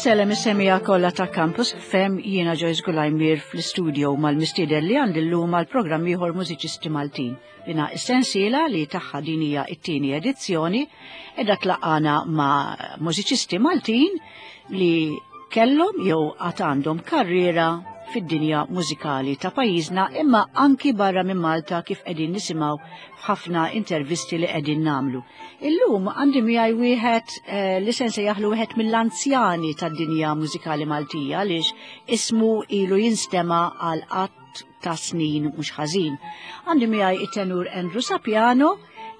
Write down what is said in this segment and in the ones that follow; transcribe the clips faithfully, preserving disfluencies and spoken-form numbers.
Insellem is-semmiegħa kollha ta' Campus F M, jiena Joyce Gulajmir fl-studio mal-mistieden li għandi llum għal programm ieħor Mużiċisti Maltin. Dina is-sensiela li tagħha din hija t-tieni edizzjoni edha tlaqqana ma' mużiċisti Maltin li kellhom jew għad għandhom karriera fid-dinja mużikali ta' pajjiżna, imma anki barra minn Malta, kif qegħdin nisimgħu f'ħafna intervisti li qegħdin nagħmlu. Illum għandi miegħi wieħed eh, li se nsejjaħlu wieħed mill-anzjani tad-dinja mużikali Maltija, għaliex ismu ilu jinstema għal qatt ta' snin mhux ħażin. Għandi miegħi it-tenur Andrew Sapiano,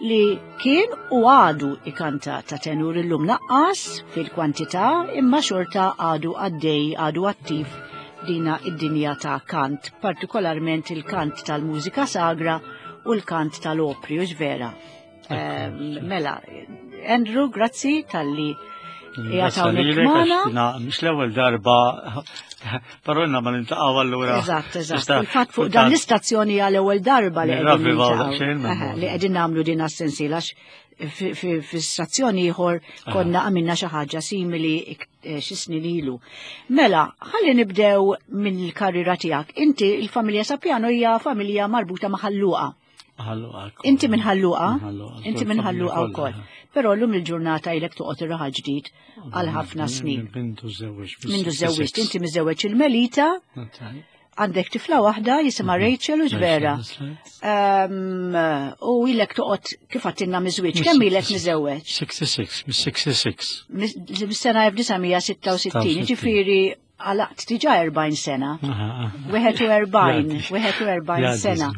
li kien u għadu ikanta ta' tenur. Illum naqqas fil-kwantità, imma xorta għadu għaddej, għadu attiv dina id-dinja ta' kant, partikolarment il-kant tal-mużika sagra u l-kant tal-opri, u vera. Mela, Andrew, grazzi talli qiegħed magħna. Mhux l-ewwel darba, però ma niltaqgħu allura. Eżatt, eżatt. Il-fatt fuq dan l-istazzjoni għal ewwel darba li qegħdin li qegħdin nagħmlu din as-sensiela. Fi stazzjoni ieħor konna għamilna xi ħaġa simili eh, xi snin ilu. Mela, ħalli nibdew mill-karriera tiegħek. Inti, il-familja Sapiano hija familja marbuta ma' Ħal Luqa. Inti minn Ħal Luqa? Inti minn Ħal Luqa wkoll. Però llum il-ġurnata ilek toqgħod ir-Raħal Ġdid għal ħafna snin. Mindu żewġ. Mindu żewġt, inti miżewweġ il-Melita. Għandek tifla waħda jisimha mhm. Rachel, u vera. U ilek toqgħod, kif għedtilna, miżżewweġ. Kemm ilek miżewweġ? sitta u sittin, mis-sitta u sittin. Mis-sena elf disa' mija sitta u sittin, ġifieri għalaqt diġà erbgħin sena. Wieħed u erbgħin, wieħed u erbgħin sena.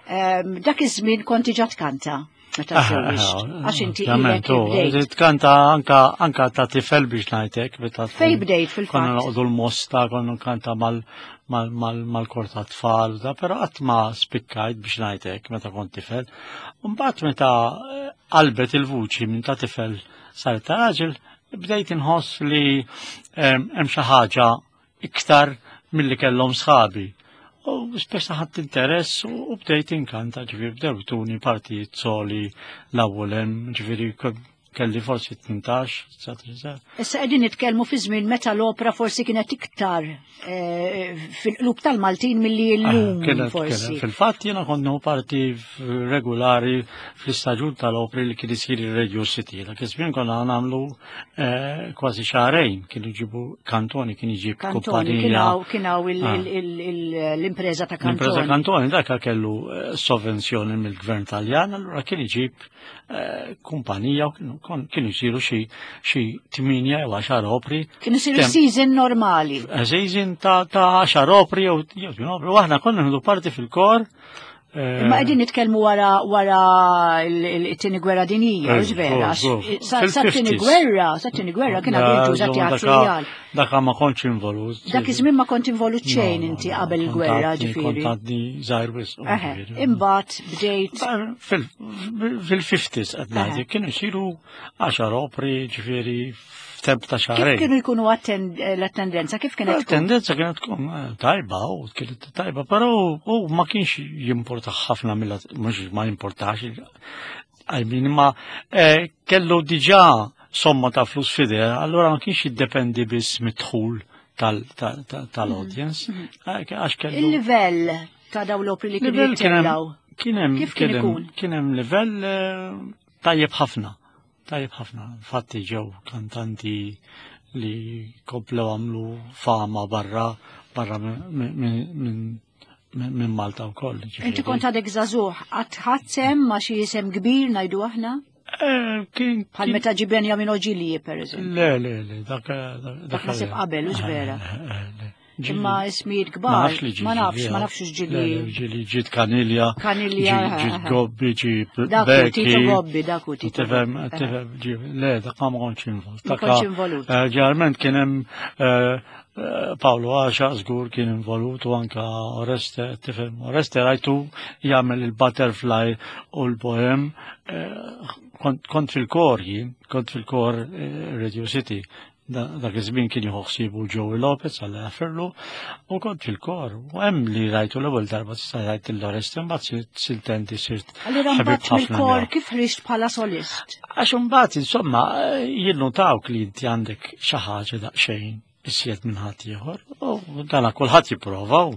Dak iż-żmien konti ġa tkanta meta żewwiġt? Għax inti ilek bdejt. Tkanta anka anka ta' tifel, biex ngħidlek. Fej bdejt fil-fatt? Konna noqogħdu l-Mosta, konna nkanta mal-kor ta' tfal, da, però qatt ma spikkajt, biex ngħidlek, meta kont tifel. Mbagħad meta eh, qalbet il-vuċi minn ta' tifel sar ta' raġel, bdejt inħoss li hemm xi ħaġa iktar milli kellhom sħabi. U speċa ħadt interess u bdejt inkanta, ġifieri bdew tuni partijiet soli l-ewwel hemm, ġifieri kelli forsi tmintax, dsatax. Issa qegħdin nitkellmu fi żmien meta l-opra forsi kienet iktar eh, fil-qlub tal-Maltin milli llum Kienet, forsi. Kienet. Fil-fatt jiena kont nieħu parti regolari fl-istaġun tal-opri li kien isir il-Radio City. Dak iż-żmien konna nagħmlu eh, kważi xahrejn, kienu jġibu Cantoni, kien iġib Cantoni, kumpanija. kienaw kienaw il- Ah. il- il- il- l-impreza ta' L-impreza Cantoni. Cantoni, dak kellu eh, sovvenzjoni mill-gvern Taljan, allura kien iġib eh, kumpanija u kienu- kon- kienu jsiru xi xi tminja jew għaxar opri. Kienu isiru Tem- season normali. Season ta' ta' għaxar opri jew jew tmien opri, u aħna konna nieħdu parti fil-kor. eh, Imma qegħdin nitkellmu wara wara il-tieni gwerra dinjija, Eh, u vera. żgur, żgur. Sa sa tieni Fil-fifties. gwerra, sa tieni gwerra kien għadu jintuża teatru Rjal. Daka ma kontx involut. Dak iż-żmien ma kont involut xejn inti qabel il-gwerra, ġifieri. Kont għadni żgħir wisq. Eħe, imbagħad bdejt. Fil-fifties qed ngħid, kienu jsiru għaxar opri, ġifieri f'temp ta' Kif xahrejn. kienu jkunu atten- l-attendenza, kif kienet tkun? Tendenza kienet tkun eh, tajba, u kienet tajba, però u ma kienx jimporta ħafna mill mhux ma jimportax, I mean, ma eh, kellu diġà somma ta' flus f'idejh, allora ma kienx jiddependi biss mid-dħul tal-audience, eh, għax kellu. Il-livell ta' daw l-opri li kienu Livell kien hemm- jittellgħu. Kien hemm Kif kien kien hemm- ikun? kien hemm livell eh, tajjeb ħafna. Tajjeb ħafna. Infatti ġew kantanti li komplew għamlu fama barra barra minn minn minn Malta wkoll. Ġifieri. Inti kont għadek żagħżugħ, qatt ħadt sehem ma' xi isem kbir, ngħidu aħna? Eh, kien Bħal kien- meta ġie Benjamin Oġilie, per eżempju. Le, le, le, dak dak Dak naħseb qabel, hux vera? Eh, eh, le. Ġili- Imma ismijiet Ma kbar, nafx li ġi ma nafx, ġili, ma nafx Le, ġili. le, ġili ġiet Caniglia, Caniglia, ġi- eh, ġiet eh. Gobbi, ġi Dak hu Becky. Tito Gobbi, dak hu Tito Tifhem, Gobbi. tifhem, ġi- le, dak ma kontx involut. Ma kontx involut. Eh, Ġeneralment kien hemm eh, eh, Paolo Għaxa żgur kien involut u anka Oreste, tifhem, Oreste rajtu jagħmel il-Butterfly u l-Bohem, eh, kont kont fil-kor jien, kont fil-kor eh, Radio City. Da- Dak iż-żmien kien jieħu ħsiebu Joey Lopez, għalla jaffirlu, u kont fil-kor. U hemm li rajtu l-ewwel darba tista' rajt l-Oreste, mbagħad sirt siltenti sirt Allura ħabib mbagħad ħafna mill-kor miegħu. kif ħriġt bħala solist? Għax imbagħad insomma jinnutawk li inti għandek xi ħaġa daqsxejn iżjed minn ħadd ieħor. U dana kulħadd jipprova u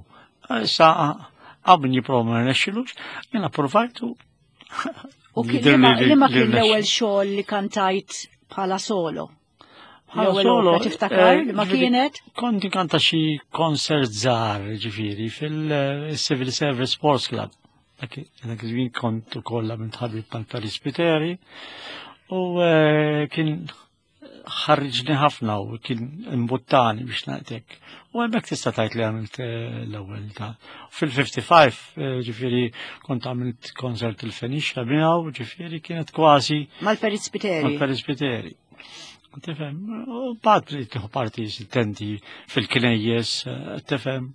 issa hawn min jipprova ma rnexxilux, jiena provajtu. U liema kien l-ewwel xogħol li kantajt bħala solo? Bħala solo, tiftakar li ma kienet? Kont inkanta xi concert żgħar, ġifieri, fil-Civil Service Sports Club. Dak iż-żmien kont ukoll minn ħabib mal-Perit Spiteri u kien ħarriġni ħafna u kien imbuttani biex ngħidlek. U hemmhekk tista' tgħid li għamilt l-ewwel ta' fil-ħamsa u ħamsin, ġifieri kont għamilt concert il-Fenicia miegħu, ġifieri kienet kważi Mal-Perit Spiteri. Mal-Perit Spiteri. Tifhem, u bad tieħu parti tendi fil-knejjes, tifhem.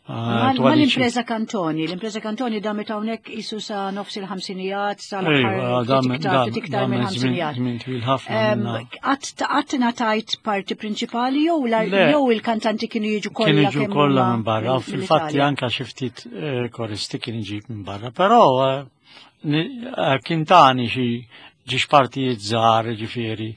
Mal-impreza Cantoni, l-impreza Cantoni damet hawnhekk isu sa nofs il-ħamsinijat, sa l-aħħar iktar minn ħamsinijat. Qatt ngħatajt parti prinċipali jew jew il-kantanti kienu jiġu kollha? Kienu jiġu kollha minn barra, fil-fatti anka xi ftit koristi kien iġib minn barra, però kien tani xi ġiex partijiet żgħar, ġifieri,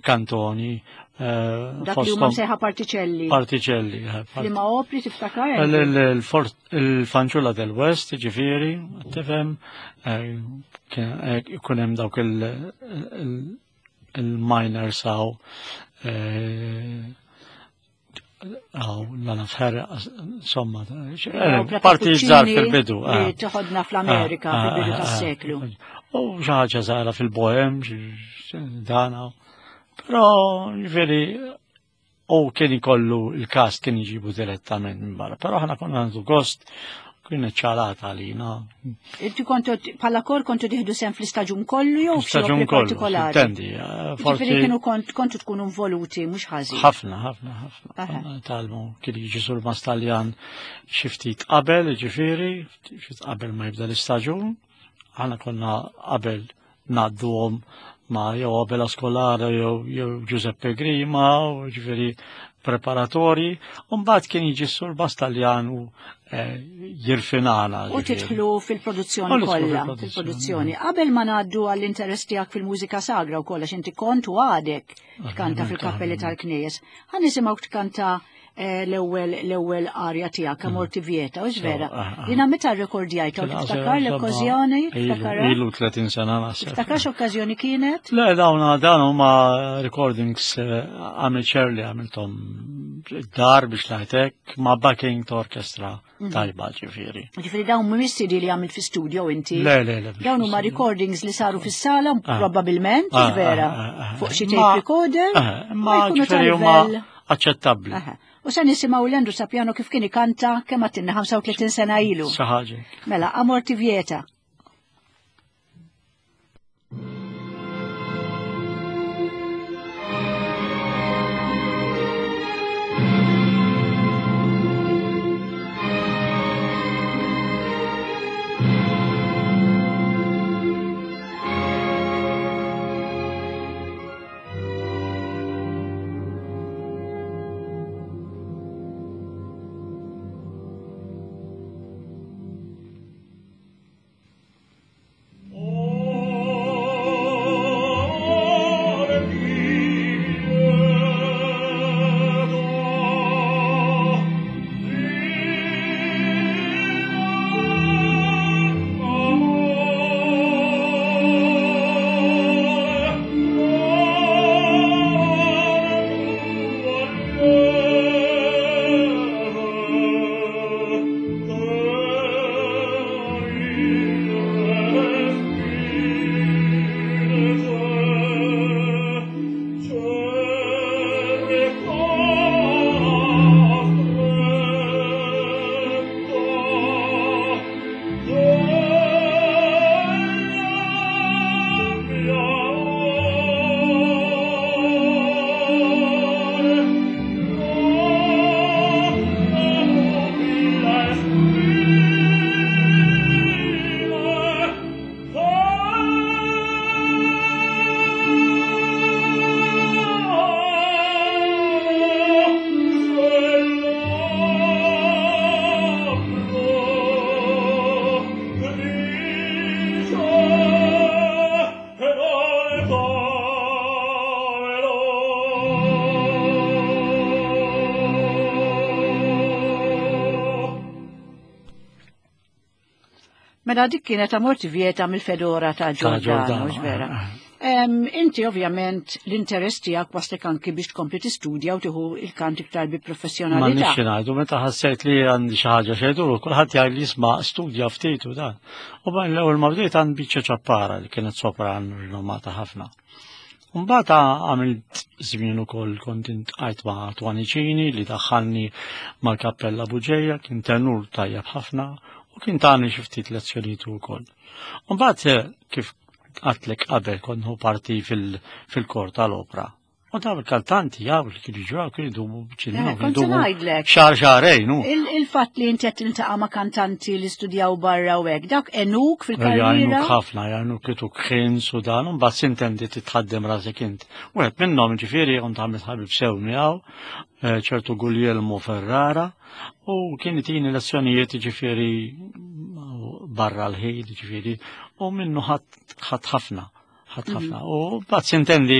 Cantoni. Dak li huma msejħa partiċelli. Partiċelli. Liema opri tiftakar? Il-Fanciulla del West, ġifieri, tifhem, ikun hemm dawk il-miners għaw għaw l-nafħer, insomma, parti żgħar fil-bidu. Toħodna fl-Amerika fil-bidu tas-seklu. U xi ħaġa żgħira fil-Bohem, dana. Però, ġifieri, u kien ikollu il-cast kien jġibu direttament minn barra, però ħana konna għandu gost, kien ċalata għalina. Inti kontu, bħala kor kontu tieħdu sehem fl-istaġun kollu jew Staġun kollu, partikolari? Intendi, Ġifieri kienu kontu tkunu involuti, mhux ħażin. Ħafna, ħafna, ħafna. Talmu, kien jiġi surmast Taljan xi ftit qabel, ġifieri, xi qabel ma jibda l-istaġun, aħna konna qabel ngħadduhom ma jew Abela Scolaro jew Giuseppe Grima, u ġifieri preparatori, u mbagħad kien jiġi surmast Taljan u jirfinana. U tidħlu fil-produzzjoni kollha, fil-produzzjoni. Qabel ma ngħaddu għall-interess tiegħek fil-mużika sagra u kollha, inti kont u għadek tkanta fil-kappelli tal-knejjes. Ħa nisimgħu tkanta l-ewwel l-ewwel arja tiegħek, Amor ti vieta, u vera. Jiena meta rrekordjajta u tiftakar l-okkażjoni? Ilu tletin sena naħseb. Tiftakar x'okkażjoni kienet? Le, dawn dawn huma recordings amateur li għamilthom dar biex ngħidlek ma' backing ta' orkestra tajba, ġifieri. Ġifieri dawn mhumiex C D li għamilt fi studio inti? Le, le, le. Dawn huma recordings li saru fis-sala probabbilment, vera, fuq xi tape recorder. Ma ġifieri huma aċċettabbli. U se nisimgħu l-Andrew Sapiano kif kien ikanta kemm għatinna ħamsa u tletin sena ilu. Xi ħaġa. Mela, Amor ti vieta. Mela dik kienet Amor ti vieta mill-Fedora ta' Giordano, vera. Inti ovvjament l-interess tiegħek waslek anki biex tkompli tistudja u tieħu il-kant iktar bi professjonalità. Ma nixxi ngħidu meta ħassejt li għandi xi ħaġa xejdu, kulħadd jgħid li jisma' studja ftit u dan. U bajn l-ewwel ma bdejt għand biċċa ċappara li kienet sopran rinomata ħafna. Mbagħad għamilt żmien ukoll kont intqajt ma' Twanicini li daħħalni mal-Kappella Buġeja, kien tenur tajjeb ħafna u kien tani xi ftit lezzjonijiet ukoll. Mbagħad kif għatlek qabel kont nieħu parti fil-kor tal-opra. U daw il-kantanti jaw li kienu ġew kienu jdumu ċilinu. Kont ngħidlek. Xahar xahrejn. Il-fatt li inti qed tiltaqa' ma' kantanti li studjaw barra u hekk, dak enuk fil-karriera. Jgħinuk ħafna, jgħinuk kituk ħins u dan, u mbagħad sintendi titħaddem rasek int. Wieħed minnhom ġifieri kont għamilt ħabib sew miegħu, ċertu Guglielmo Ferrara, u kien itini lezzjonijiet ġifieri barra l-ħin ġifieri, u minnu ħadd ħafna. ħadd ħafna. U bat sintendi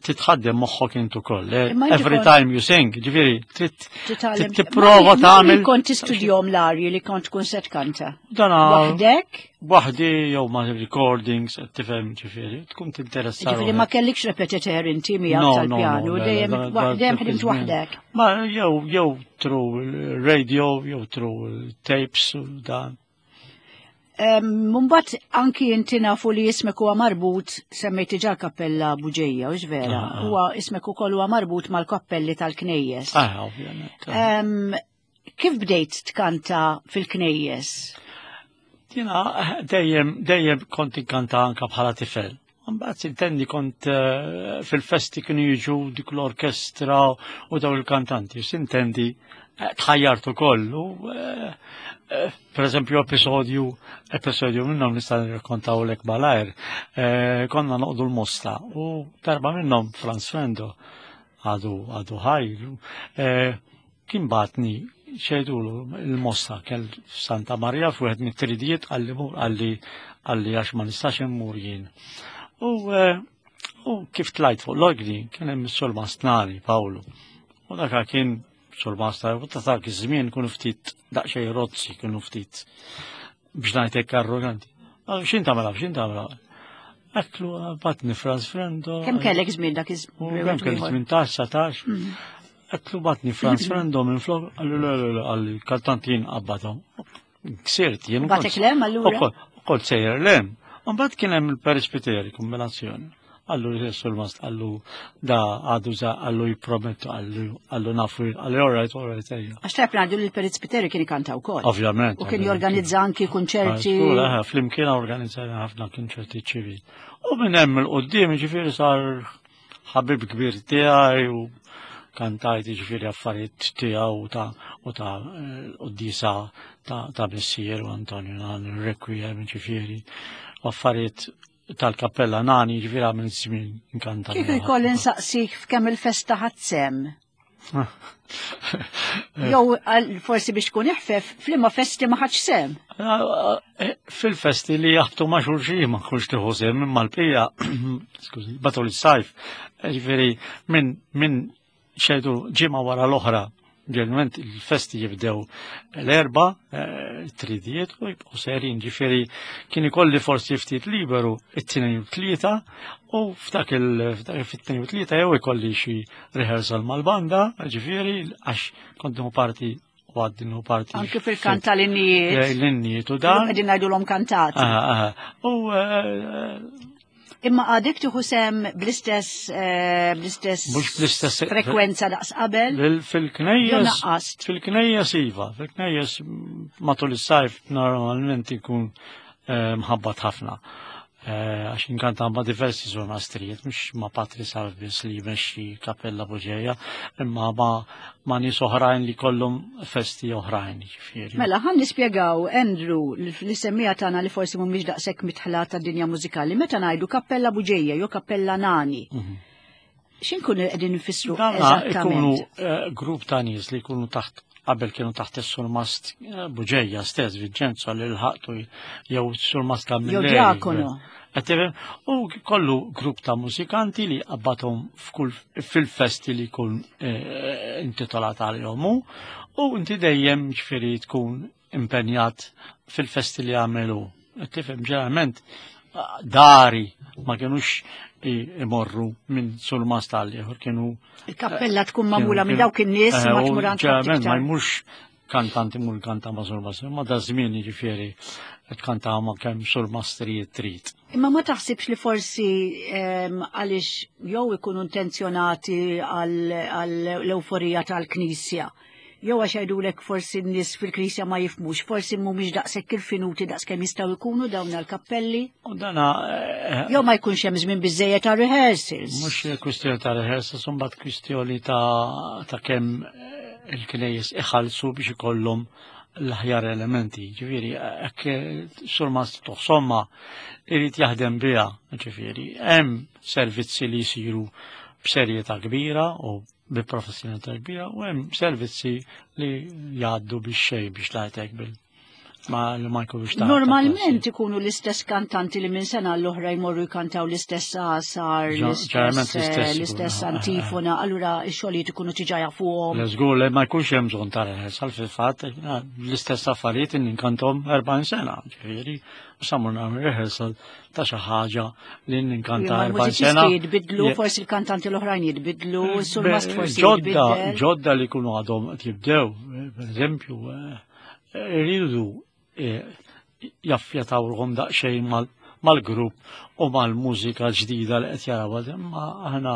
titħaddem moħħok intu koll. Every time you sing, ġifieri, trid tipprova tagħmel. Kont tistudjom l-arji li kont tkun se tkanta. Waħdek? Waħdi jew ma' recordings, tifhem ġifieri, tkun tinteressa. Ġifieri ma kellikx repetitor inti miegħek tal-pjanu, dejjem dejjem ħdimt waħdek. Ma jew jew through radio, jew through tapes u dan. Mumbat anki inti nafu li ismek huwa marbut, semmejt diġà l-Kappella Buġeja, u vera, huwa ismek ukoll huwa marbut mal-kappelli tal-Knejjes. Ah, ovvjament. Kif bdejt tkanta fil-Knejjes? Jiena dejjem dejjem kont inkanta anka bħala tifel. Mbagħad intendi kont fil-festi kienu jiġu dik l-orkestra u daw il-kantanti, sintendi tħajjart ukoll. Per eżempju, episodju, episodju minnhom nista' nirrakkontawlek malajr, konna noqdu l-Mosta u darba minnhom Franz Frendo għadu għadu ħaj, kien batni xejdulu il-Mosta kell Santa Maria f'wieħed mit-tridijiet għalli mur għalli għalli għax ma nistax immur jien. U u kif tlajt fuq l-orgni kien hemm is-Surmast Nani Pawlu. U dak kien Surmast, u ta' dak iż-żmien kienu ftit daqsxejn rozzi, kienu ftit biex ngħidlek arroganti. X'in tagħmel, x'in tagħmel? Għedtlu batni Franz Frendo. Kemm kellek żmien dak iż-żmien? Kemm kellek tmintax, satax. Għedtlu batni Franz Frendo minn flok, għallu le le le, għalli kantanti jien qabadhom. Ksirt jien. Batek lem allura? Kont sejjer lem. Mbagħad kien hemm il-Perisbiteri kombinazzjoni. Għallu l-Surmast, għallu da għadu za, għallu jipromettu, għallu għallu nafu, għallu all right, all right, ejja. Għax tajb ngħidu li l-Perisbiteri kien ikanta wkoll. Ovvjament. U kien jorganizza anki kunċerti. Flimkien organizzajna ħafna kunċerti ċivili. U minn hemm il-qudiem ġifieri sar ħabib kbir tiegħi u kantajt ġifieri affarijiet tiegħu ta' u ta' quddiesa ta' missier u Antonio Nani, Requiem ġifieri, affarijiet tal-Kappella Nani ġifieri għamil żmien inkanta. Kif ikolli nsaqsik f'kemm il-festa ħadd sem? Jew forsi biex tkun iħfef, f'liema festi ma ħadx sem? Fil-festi li jaħbtu ma' xulxin ma nkunx tieħu sem, imma l-bqija, skużi, matul is-sajf, ġifieri minn minn xejdu ġimgħa wara l-oħra. Ġeneralment il-festi jibdew l-erba, tridijiet u jibqgħu serin, ġifieri kien ikolli forsi ftit liberu it-tnejn u tlieta u f'dak il-tnejn u tlieta jew ikolli xi rehearsal mal-banda, ġifieri għax kont nieħu parti u għaddi nieħu parti. Anke fil-kant tal-innijiet. L-innijiet u dan. Qegħdin ngħidulhom kantati. U Imma għadek tieħu sem bl-istess bl-istess mhux bl-istess frekwenza daqs qabel? Fil-knejjes fil-knejjes iva, fil-knejjes matul is-sajf normalment ikun mħabbat ħafna. Għax inkanta ma' diversi żonastrijiet, mhux ma' Patri Salvis li jmexxi Kappella Buġeja, imma ma' nies oħrajn li kollhom festi oħrajn, ġifieri. Mela, ħan nispjegaw, Andrew, li semmija tagħna li forsi mhumiex daqshekk mitħla tad-dinja mużikali, meta ngħidu Kappella Buġeja jew Kappella Nani. X'inkunu qegħdin nfissru eżattament? Ikunu grupp ta' nies li jkunu taħt qabel kienu taħt is-Surmast Buġeja stess, Vincenzo li l-ħaqtu jew Surmast Camilleri. Jew diakono. U kollu grupp ta' mużikanti li qabbathom fil-festi li jkun intitolat għalihom u inti dejjem ġifieri tkun impenjat fil-festi li għamelu. Tifhem, ġeneralment dari ma kienux imorru minn surmast għal ieħor, kienu Il-kappella tkun magħmula minn dawk in-nies ma tmur għand Ġeneralment ma jmurx kantanti mur kanta ma' surmast, ma da żmien jiġifieri tkanta ma' kemm surmastrijiet trid. Imma ma taħsibx li forsi għaliex jew ikunu intenzjonati għall-euforija tal-Knisja, jew għax jgħidulek forsi n-nies fil-Knisja ma jifhmux, forsi mhumiex daqshekk irfinuti daqs kemm jistgħu jkunu dawn l-kappelli. U dana eh, Jew ma jkunx hemm żmien biżejjed ta' rehearsals. Mhux kwistjoni ta' rehearsals, imbagħad kwistjoni ta' ta' kemm il-knejjes iħallsu biex ikollhom l-aħjar elementi. Ġifieri, hekk surmast somma irid jaħdem biha, ġifieri, hemm servizzi li jsiru b'serjetà kbira u bi professjonalità kbira u hemm servizzi li jgħaddu biex xejn, biex ngħidlek, bil ma li ma jkunux ta' Normalment ikunu l-istess kantanti li minn sena l-oħra jmorru jkantaw l-istess għasar, Ġeneralment l-istess l-istess l-istess ikunu. antifona, allura x-xogħlijiet ikunu diġà jafuhom. Le, żgur li ma jkunx hemm bżonn ta' rehearsal. Fil-fatt l-istess affarijiet ninkantom erbgħin sena, ġifieri, u sa mmur nagħmel rehearsal ta' xi ħaġa li ninkanta Imma erbgħin l-mużiċisti sena. jitbidlu, forsi il-kantanti l-oħrajn jitbidlu, surmast forsi Ġodda, jitbiddel. ġodda li jkunu għadhom qed jibdew, per eżempju, eh, iridu eh, jaffjatawhom daqsxejn mal- mal-grupp u mal-mużika ġdida li qed jaraw, imma aħna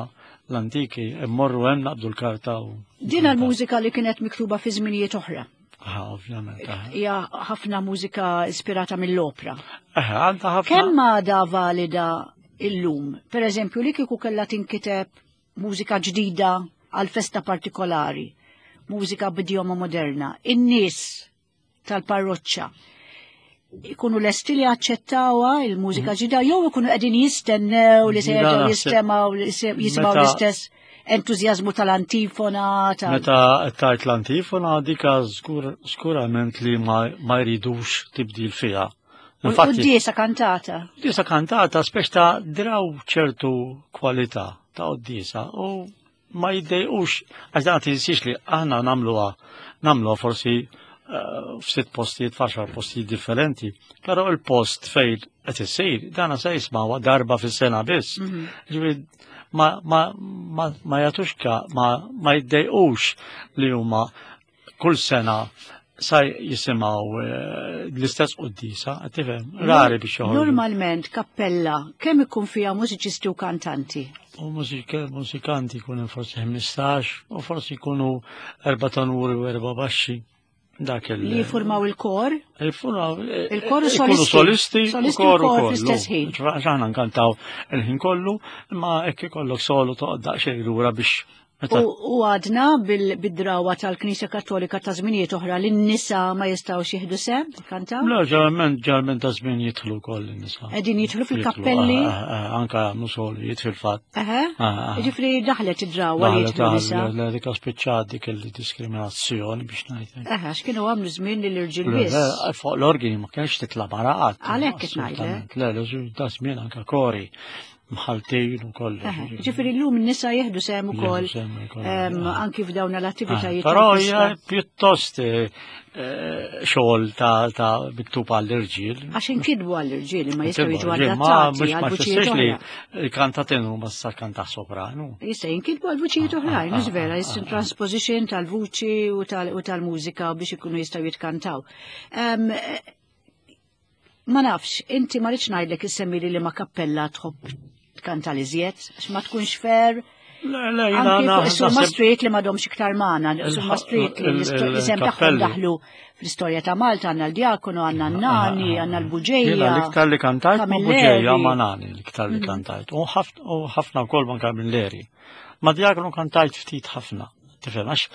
l-antiki immorru hemm, naqbdu l-karta u Din l-mużika li kienet miktuba fi żminijiet oħra. Ah, ovvjament. eh. Hija ħafna mużika ispirata mill-opra. Eh, għandha ħafna. Kemm għadha valida illum? Per eżempju, li kieku kellha tinkiteb mużika ġdida għal festa partikolari, mużika b'idjoma moderna, in-nies tal-parroċċa ikunu lesti li aċċettawha il-mużika ġdida jew ikunu qegħdin jistennew li se Ġdida jerġgħu naħseb- jistemgħu li se jisimgħu Meta- l-istess entużjażmu tal-antifona tal Meta tajt l-antifona dika żgur skurament li ma, ma jridux tibdil fiha. U Infatti, d-diesa kantata. Disa kantata speċ ta' draw ċertu kwalità ta' qoddisa u ma jiddejqux, għax dan tinsiex li aħna nagħmluha nagħmluha forsi eh, f'sitt postijiet, f'għaxar postijiet differenti, però il-post fejn qed issir dana se jismawha darba fis-sena biss. Ġifieri ma ma ma ma jagħtux ka ma ma jiddejqux li huma kull sena sa jisimgħu eh, l-istess qoddisa, tifhem, rari biex joħorġu. Normalment kappella kemm ikun fiha mużiċisti u kantanti? U mużika- mużikanti jkunu forsi ħmistax u forsi jkunu erba' tenuri u erba' baxxi. Dak il- Li jiffurmaw il-kor? Jiffurmaw Il-kor u ikunu solisti. solisti u Solisti u kor kor ukoll. fl-istess ħin. Aħna nkantaw il-ħin kollu, imma hekk ikollok solo toqgħod daqsxejn lura biex meta U u għadna bil- bid-drawa tal-Knisja Kattolika ta' żminijiet oħra li n-nisa ma jistgħux jieħdu sehem kantaw? Le, ġeneralment ġeneralment ta' żmien jidħlu wkoll in-nisa. Qegħdin jidħlu fil-kappelli? Jidħlu, eh, eh, anka jagħmlu solijiet fil-fatt. Eħe? Ah, ah. Ġifieri daħlet id-drawa li Daħlet jidħlu nisa. daħlet dik spiċċat dik il-diskriminazzjoni, biex ngħidlek. Eħe, x'kienu għamlu żmien li l-irġiel Le, biss. le, fuq l-organi ma kienx titla' mara qatt. Għalhekk qed ngħidlek. Assolutament. Le, le, da żmien anka kori mħaltin u kollox. Eħe, ġifieri llum n-nisa jieħdu sehem ukoll Jieħdu sehem ukoll, em, ah. anki f'dawn l-attivitajiet. Però hija tal-festa. pjuttost eh, eh, xogħol ta' ta' miktub għall-irġiel. Għax inkitbu għall-irġiel imma jistgħu jiġu Ma adattati mhux ma għal vuċijiet tfissirx li oħra. il-kanta tenur ma sa kanta sopranu. Jista' jinkitbu għal vuċijiet oħrajn, ah, mhux vera, ah, jista' ah. transposition tal-vuċi u tal- u tal-mużika biex ikunu jistgħu jitkantaw. Em, eh, Ma nafx, inti ma rridx ngħidlek issemmi li ma kappella tħobb tkanta li żjed, għax ma tkunx fair. Le, le, jiena Anki fuq is-Surma naħseb Street li m'għadhomx iktar magħna, Surma Street li il- l-isem tagħhom il-kappelli. daħlu fl-istorja ta' Malta, għandna l-Djakonu, għandna n-Nani, għandna l-Buġeja. Jiena l-iktar li kantajt ma' Camilleri. Buġeja, ma' Nani l-iktar li kantajt. U ħafna u ħafna wkoll ma' Camilleri. Ma' Djakonu kantajt ftit ħafna. Tifhem, għax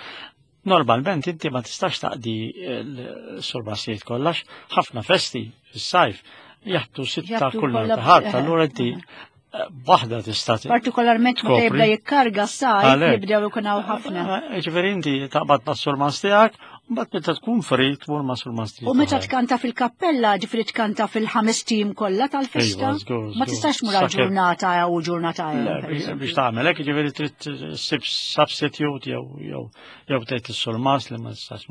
normalment inti ma tistax taqdi l-surmasijiet kollax, ħafna festi fis-sajf jaħtu sitta Jaħtu kull kollha- nhar ta' ħadd, eh, allura inti eh, waħda tista' Partikolarment meta tkopri. jibda jikkarga s-sajf Għalhekk. jibdew ikun hawn ħafna. Eh, Ġifieri inti taqbad mas-surmas tiegħek Mbagħad meta tkun free tmur ma' surmasti. U meta tkanta fil-kappella, ġifieri tkanta fil-ħames tim kollha tal-festa? Ma tistax mur għal ġurnata jew ġurnata jew. Biex tagħmel hekk ġifieri trid ssib substitute jew jew jew tgħid is-surmas li ma tistax.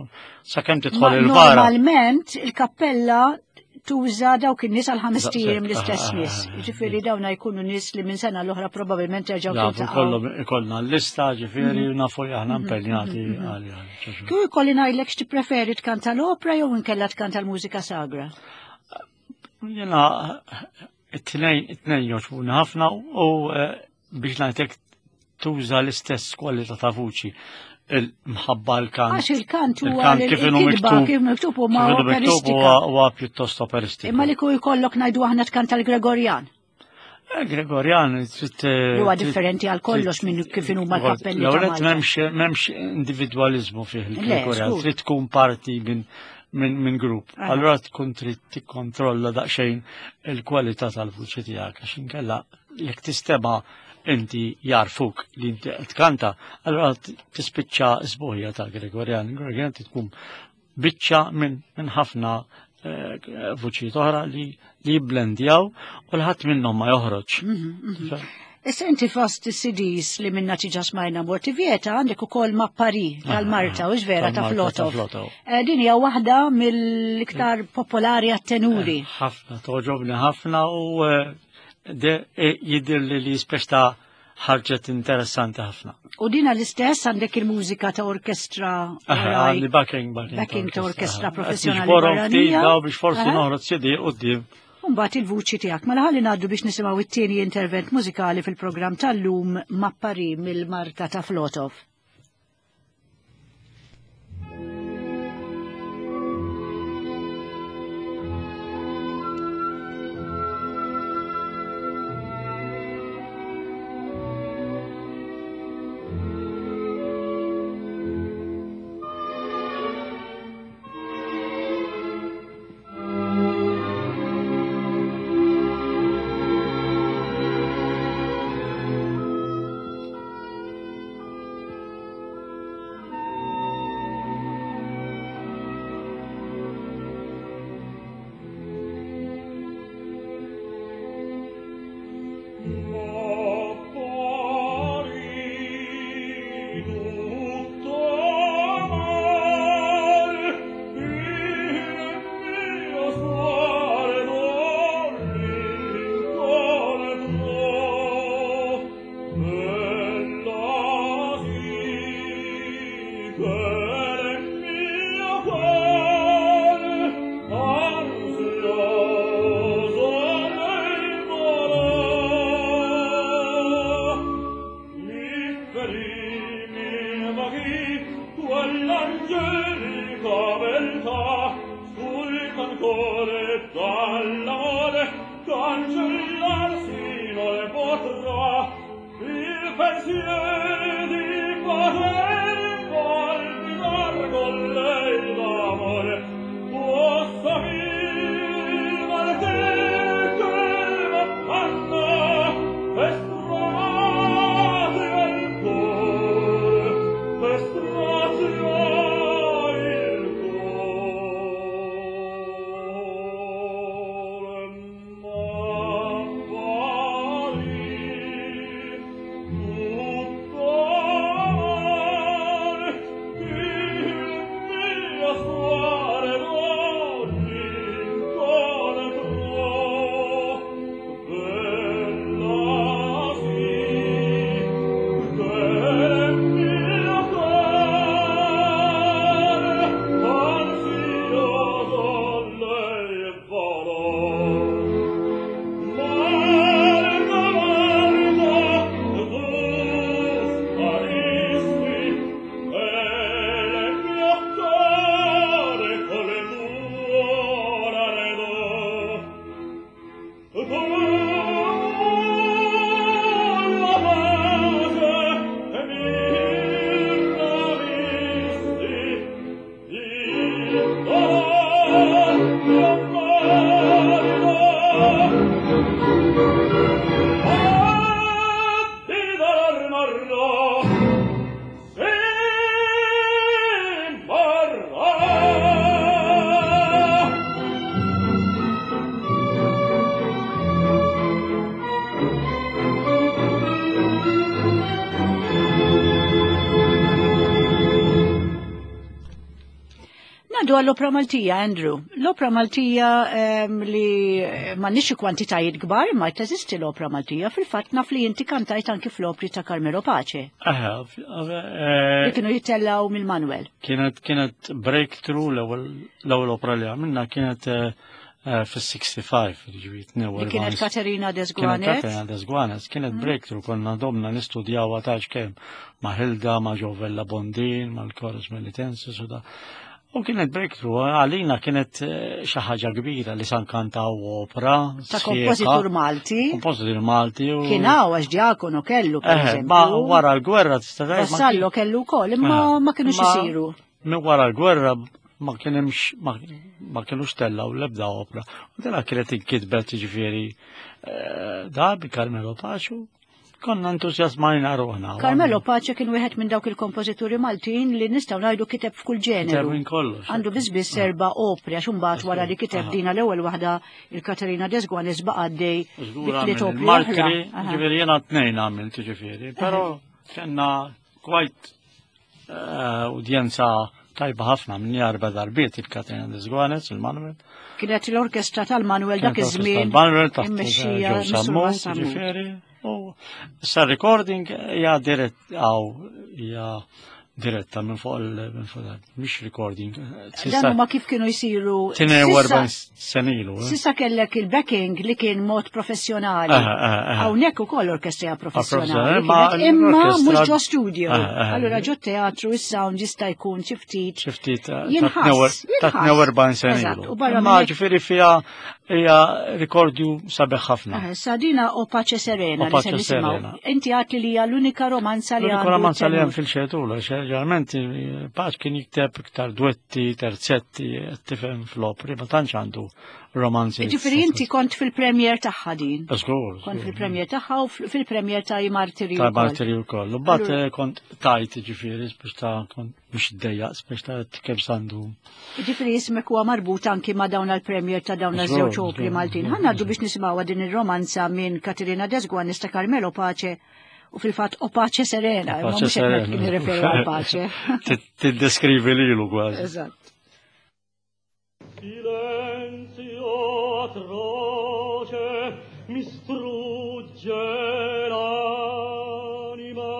Sakemm tidħol il-vara. Normalment il-kappella tuża dawk in-nies għal ħames tiem l-istess nies. Ġifieri dawna jkunu nies li minn sena l-oħra probabbilment jerġgħu jiltaqgħu. Ikollna l-lista ġifieri nafu li aħna impenjati għaliha. Kieku jkolli ngħidlek x'tippreferi tkanta l-opra jew inkella tkanta l-mużika sagra? Jiena it-tnejn it-tnejn jogħġbuni ħafna u biex ngħidlek tuża l-istess kwalità ta' vuċi. Il-mħabba l-kant. Għax il-kant huwa kif inhu miktub, kif miktub huma operistika. Huwa pjuttost operistiku. Imma li ku jkollok ngħidu aħna tkanta l-Gregorjan. Gregorjan trid huwa differenti għal kollox minn kif inhuma l-kappelli. L-ewwel m'hemmx m'hemmx individwaliżmu fih il-Gregorjan, trid tkun parti minn minn min grupp. Allura tkun trid tikkontrolla daqsxejn il-kwalità tal-vuċi tiegħek għax inkella jekk tistema' inti jarfuk li inti tkanta, allora tispiċċa sbuħija ta' Gregorjan. Gregorjan tkun biċċa minn min ħafna eh, vuċijiet oħra li li jibblendjaw u l-ħadd minnhom ma joħroġ. Issa inti fost C Ds li minna tiġa smajna Morti Vieta għandek ukoll Mappari tal-Marta, u vera ta' Flotov. Din hija waħda mill-iktar popolari għat-tenuri. Ħafna, toġobni ħafna u jidher li li speċta ħarġet interessanti ħafna. U dina l-istess għandek il-mużika ta' orkestra. Għandi backing, backing ta' orkestra professjonali barranija. Biex forsi noħroġ C D quddiem. Mbagħad il-vuċi tiegħek. Mela ħalli ngħaddu biex nisimgħu it-tieni intervent mużikali fil-programm tal-lum Mappari mill-Marta ta' Flotov. Marra. għall-Opra Maltija, Andrew. L-Opra Maltija um, li m'għandniex kwantitajiet kbar, imma teżisti l-Opra Maltija. Fil-fatt naf li inti kantajt anki fl-opri ta' Carmelo Pace. Aha, Li kienu jittellaw mill-Manuel. Kienet kienet breakthrough l-ewwel opra li għamilna kienet fis-sixty-five, ġifieri Li kienet Katerina Kienet Desguanes. Katerina Desguanes, kienet breakthrough, konna domna nistudjaw għatax kemm ma' Hilda, ma' Jovella Bondin, ma' l-Chorus Melitensis u da. U kienet breakthrough, għalina kienet xi ħaġa kbira li san kantaw opra. Ta' kompożitur Malti. Kompożitur Malti. U Kien hawn għax Diacono kellu, per Eh, ma eżempju. wara l-gwerra tista' tgħid ma Vassallo kellu wkoll, imma ma kienux Ma- isiru. Minn wara l-gwerra ma kienx ma, ma kienux tellaw l-ebda opra. U dela kienet inkitbet ġifieri eh, da bi Carmelo Pace. Konna entużjasmajna ruħna. Carmelo Pace kien wieħed minn dawk il-kompożituri Maltin li nistgħu ngħidu kiteb f'kull ġeneru. Kiteb minn kollox. Għandu biss biss erba' opri għax imbagħad wara li kiteb Aha. dina l-ewwel waħda il-Katerina Desguanes baqa' għaddej Żgur bi tliet għamil opri il-Martri, oħra. Aha. ġifieri jiena tnejn għamilt ġifieri, però kellna quite eh, udjenza tajba ħafna minn erba' darbiet il-Katerina Desguanes, il-Manuel. Kienet l-orkestra tal-Manuel dak Kienet l-orkestra iż-żmien tal-Manuel taħt immexxija Joe Missur Sammut, Sammut. ġifieri. U issa recording hija dirett għaw hija diretta minn fuq il minn fuq il- mhix recording. Dan huma kif kienu jsiru. Tnejn u Sissa- erbgħin senilu. eh. Sissa kellek il-backing li kien mod professjonali. Aha, aha, aha. Hawnhekk ukoll orkestra professjonali. professjonali, ma kienet, imma l-orkestra- mhux ġo studio. Aha, aha. Allura ġo teatru is-sound jista' jkun xi ftit. Xi ftit ta' Jinħass, ta' jinħass. tnejn u erbgħin Eżatt, senilu. u barra Imma minn hekk- ġifieri fiha hija rikordju sabiħ ħafna. Eh, Sadina o Pace Serena O li se Pace nisimgħu. Serena. Inti għat li hija l-unika romanza li L-unika għandu romanza li hemm tenur. fil-xetula, ġeneralment Pace kien jikteb iktar duetti, terzetti, tifhem fl-opri, ma tantx għandu romanzi. Ġifieri inti kont fil-premier tagħha din. Żgur. Kont fil-premier tagħha u fil- fil-premier ta' I Martiri Ta' wkoll. Martiri wkoll. U mbagħad Allura- eh, kont tajt ġifieri biex ta' kont biex iddejjaq biex ta' kemm sandu. Ġifieri ismek huwa marbut anki ma' dawn għal-premier ta' dawn Żgur, iż-żewġ opri żgur, Maltin. żgur, Ħa ngħaddu biex nisimgħu din ir-romanza minn Katerina Desguanes ta' Carmelo Pace u fil-fatt O Pace Serena, imma Pace mhux hekk Serena. kien jirreferi għal Pace. Tiddeskrivi lilu kważi. Eżatt. Silenzio atroce mi strugge l'anima.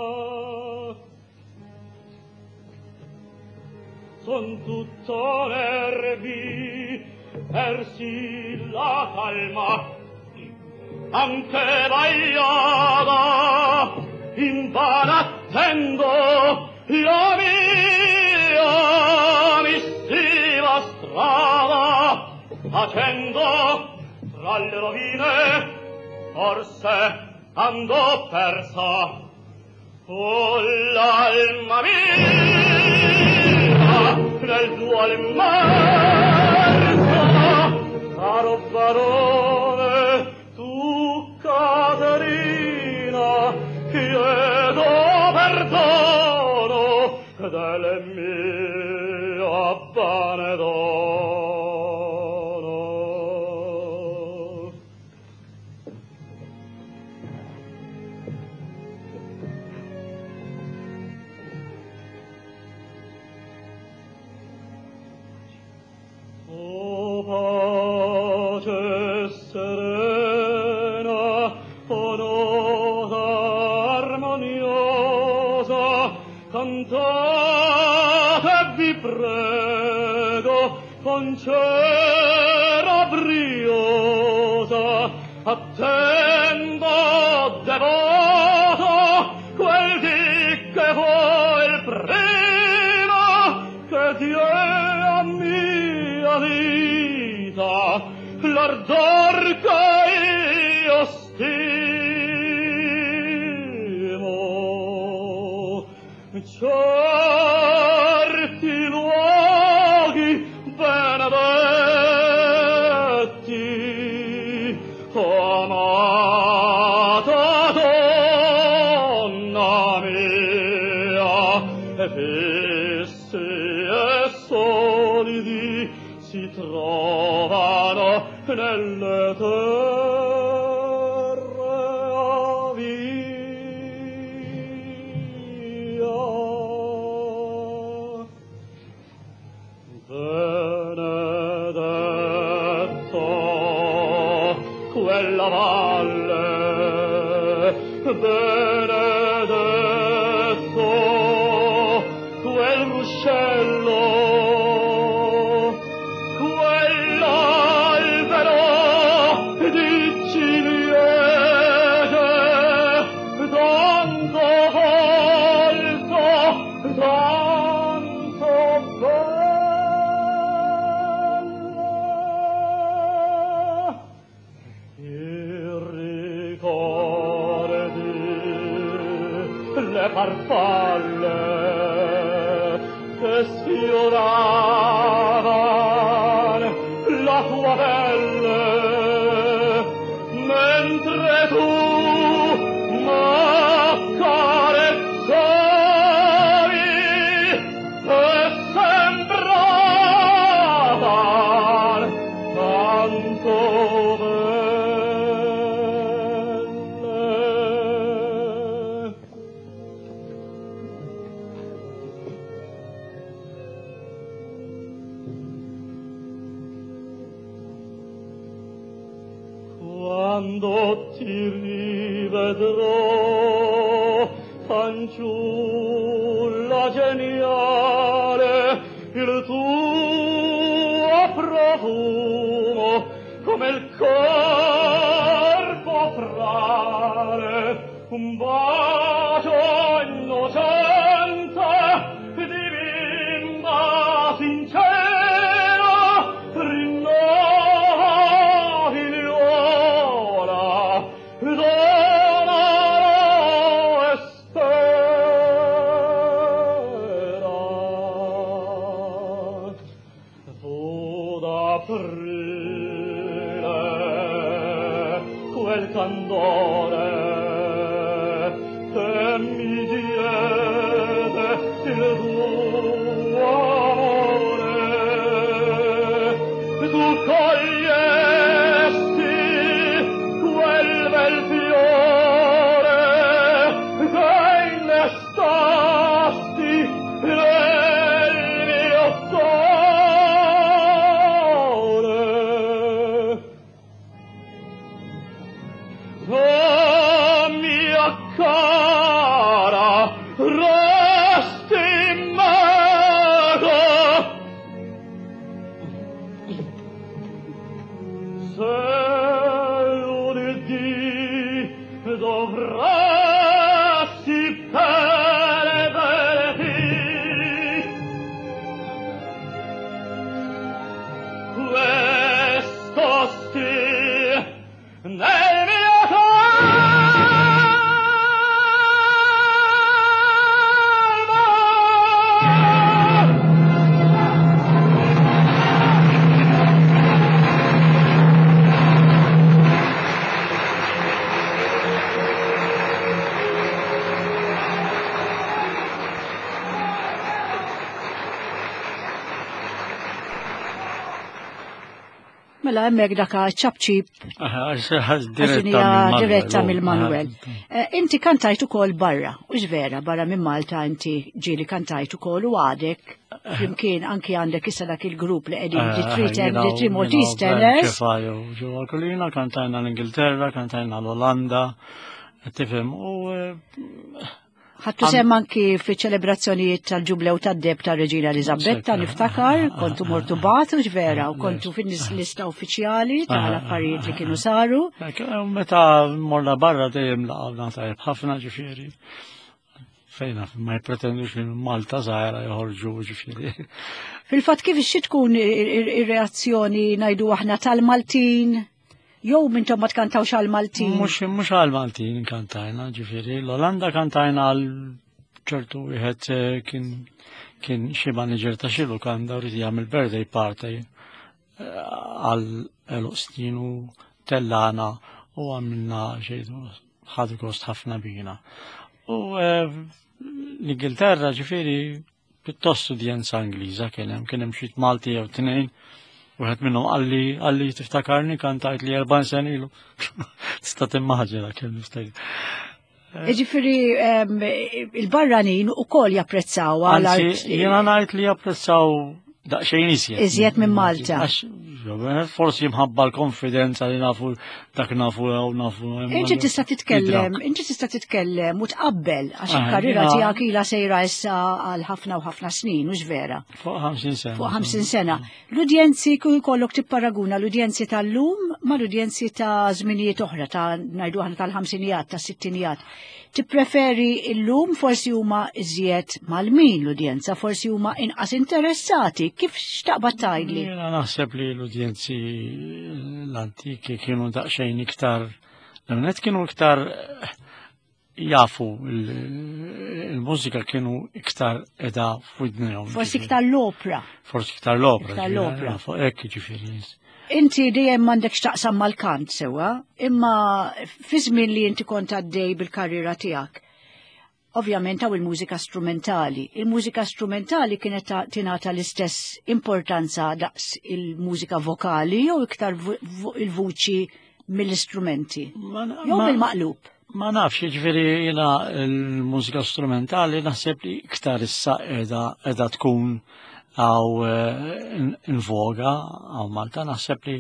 Son tutto nervi, persi la calma, anche vagliava, in vano attendo la mia missiva strada, facendo tra le rovine, forse andò persa. Oh, l'alma mia nel duol immersa, caro barone, tu Caterina, chiedo perdono del mio abbandono. O pace serena, o nota armoniosa, cantate vi prego con cera briosa, attendo devoto quel dì che fu il primo che die a mia vita l'ardor che io stimo. Certi luoghi benedetti, o amata donna mia, e fissi e solidi si trovano nelle terre avia. Del nella valle, benedetto quel ruscello, quell'albero di ciliegie, tanto alto, tanto bella. I ricordi, le farfalle che sfioravan la tua pelle, mentre tu m'accarezzavi e sembravan tanto belle. Quando ti rivedrò, fanciulla geniale, il tuo profumo come il corpo frale, un bacio innocente di bimba sincera rinnova figliuola, dona e spera. Fu d'aprile quel candore che mi diede il tuo amore. Tu cogliesti quel bel fiore che innestasti nel mio cuore. Oh, mia cara, resti mago. Se lunedì dovresti perderti questo sì nel mio calma. Mela hemmhekk daka ċapċip Diretta diretta mill-Manuel. Eh, Inti kantajt ukoll barra, u vera, barra minn Malta inti ġieli kantajt ukoll u għadek flimkien anki għandek issa dak il-grupp li qegħdin di Three Ten- di Three Maltese Tenors. Ġewwa Kulina, kantajna l-Ingilterra, kantajna l-Olanda, tifhem, u eh, Ħadtu sem anki fi ċelebrazzjonijiet tal-ġublew tad-deb ta' Reġina Elisabetta, niftakar, kontu mortu batu vera, u kontu fin-lista uffiċjali tal-affarijiet li kienu saru. Ek, eh, Meta morna barra dejjem laqgħna tajjeb ħafna ġifieri. Fejna ma jippretendux minn Malta żgħira joħorġu ġifieri. Fil-fatt kif xi tkun ir-reazzjoni ngħidu aħna tal-Maltin? Jew mintom ma tkantawx għal-Maltin? Mhux mhux għal Maltin kantajna ġifieri. L-Olanda kantajna għal ċertu wieħed eh, kien kien xi manager ta' xi lukanda u rid jagħmel birthday party eh, għal għeluq snin u tellana u għamilna xejn ħadu gost ħafna bina. U eh, l-Ingilterra ġifieri pjuttost udjenza Ingliża kien hemm kien hemm xi Malti jew tnejn. Wieħed minnhom qalli qalli tiftakarni kantajt li erbgħin sena ilu. Tista' timmaġina kemm niftakar. Ġifieri em, il-barranin ukoll japprezzaw għal Anzi, art jiena ngħid li japprezzaw daqsxejn iżjed. Iżjed minn Malta. Għax Forsi mħabba l-konfidenza li nafu dak nafu u nafu. Inti tista' titkellem, inti tista' titkellem u tqabbel għax Ah, il-karriera jiena- tiegħek ilha sejra issa għal ħafna u ħafna snin, mhux vera. Fuq ħamsin sena. Fuq ħamsin sena. L-udjenzi ku jkollok tipparaguna l-udjenzi tal-lum ma l-udjenzi ta' żminijiet oħra, ta' ngħidu aħna tal-ħamsinijat, ta' sittinijat. Tippreferi illum forsi huma iżjed mal-min l-udjenza, forsi huma inqas interessati. Kif x'taqbad tgħidli? Jiena naħseb li l-udjenzi l-antiki kienu daqsxejn iktar, l-għonet kienu iktar eh, jafu il- il-mużika kienu iktar edha f'widnejhom. Forsi iktar l-opra. Forsi iktar l-opra. Iktar ġifieri, l-opra. Fuq hekk ġifieri. Inti dejjem m'għandek x'taqsam mal-kant sewwa, imma fi żmien li inti kont għaddej bil-karriera tiegħek. Ovvjament hawn il-mużika strumentali. Il-mużika strumentali kienet ta- tingħata l-istess importanza daqs il-mużika vokali jew iktar vo- vo- il-vuċi mill-istrumenti. Ma- Jew ma- bil-maqlub. Ma nafx, ġifieri jiena l-mużika strumentali naħseb li iktar issa edha, edha tkun għaw eh, in, in voga għaw Malta, naħseb li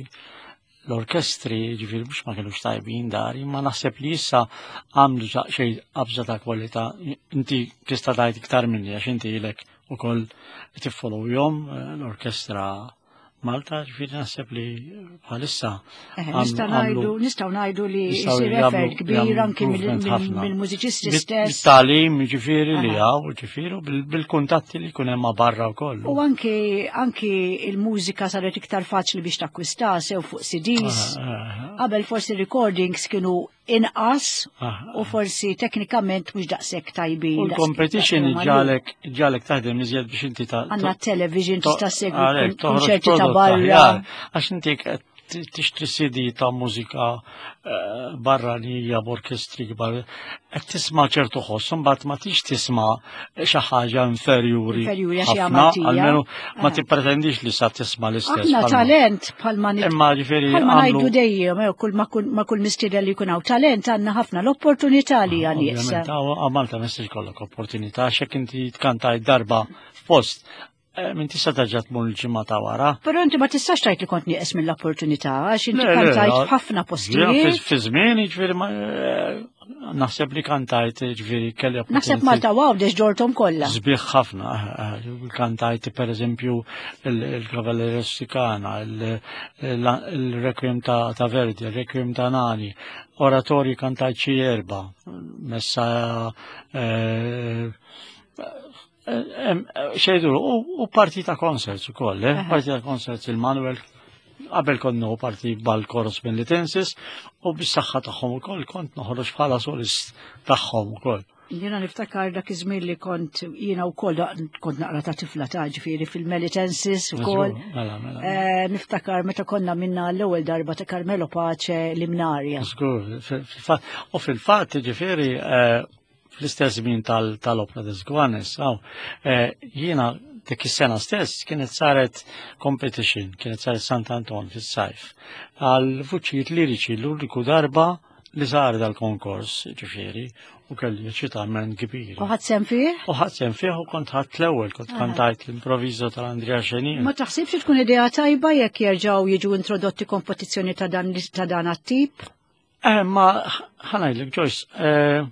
l-orkestri, ġifieri mhux ma kienux tajbin dari, ma naħseb li issa għamlu xej qabża ta' kwalità. Inti tista' tgħid iktar minni għax inti ilek ukoll tiffollowjom eh, l-orkestra Malta, ġifieri naħseb li bħalissa Eh, għamlu- Nistgħu ngħidu nistgħu ngħidu li Nistgħu jsir jagħmlu- effort kbir jagħmlu anki mill- improvement mill- ħafna. mill-mużiċisti Bit- stess. Bit-talim, ġifieri li Aha. għaw, ġifieri, u bil- bil-kuntatti li jkun hemm ma' barra wkoll. U anki anki il-mużika saret iktar faċli biex takkwista sew fuq C Ds. Ah, ah, Qabel forsi recordings kienu inqas ah, u forsi teknikament mhux daqshekk tajbin. U l-competition daqs- daqs- ġalek ġalek taħdem iżjed biex inti ta' Għandna television to- tista' segwi għalek, toħroġ konċerti ta' prodott barra. aħjar. Għax inti qed tixtri C D ta' mużika eh, barra li hija b'orkestri kbar, qed tisma' ċertu ħoss, imbagħad ma tix tisma' xi ħaġa inferjuri. Inferjuri għax hija ħafna, Maltija. almenu ma Ah. tippretendix li sa tisma' l-istess. Aħna bħalma- talent bħalma nit- Imma ġifieri bħalma għamlu- ngħidu dejjem, jew kull ma kull ma kull mistieden li jkun hawn talent għandna ħafna l-opportunità li hija nieqsa. Ovvjament, għaw Malta ma jistax ikollok opportunità, għax jekk inti tkantaj darba f'post, eh, minn tista' terġa' tmur il-ġimgħa ta' wara. Però inti ma tistax tgħid li kont nieqes mill-opportunità għax inti Le, le, kantajt le, f'ħafna Ġifieri, postijiet. Fi żmien, ġifieri, ma- eh, naħseb li kantajt, ġifieri, kelli Naħseb opportunità. Malta Għawdex ġortom kollha. Sbieħ ħafna, eh, eh, kantajt per eżempju il-Cavalleria Rusticana, il-Requiem ta' ta' Verdi, il-Requiem ta' Nani, oratorji kantajt xi erba, messa eh, eh, em, eh, xejdu, u u parti ta' concerts ukoll, eh, Aha. parti ta' concerts il-Manuel, qabel kont parti bal-Chorus Melitensis u bis-saħħa tagħhom ukoll kont noħroġ bħala solist tagħhom ukoll. Jiena niftakar dak iż-żmien li kont jiena wkoll kont naqra ta' tifla ta' ġifieri fil-Melitensis ukoll. Mela, mela. Eh, Niftakar meta konna minna l-ewwel darba ta' Carmelo Pace l-Imnarja. Żgur, fil-fatt, u fil-fatt, ġifieri, eh, fl-istess żmien tal- tal-Opera des Gwanes, aw, eh, jiena dik is-sena stess kienet saret competition, kienet saret Sant Anton fis-sajf, għal vuċijiet liriċi l-uniku darba li sar dal-konkors, ġifieri, u kelli eċitament kbir. U ħadt sehem fih? U ħadt sehem fih u kont ħadt l-ewwel, kont kantajt l-improvviso tal-Andrea Chenier. Ma taħsibx li tkun idea tajba jekk jerġgħu jiġu introdotti kompetizzjoni ta' dan ta' dan għat-tip? Eh, ma ħa ngħidlek, Joyce, eh,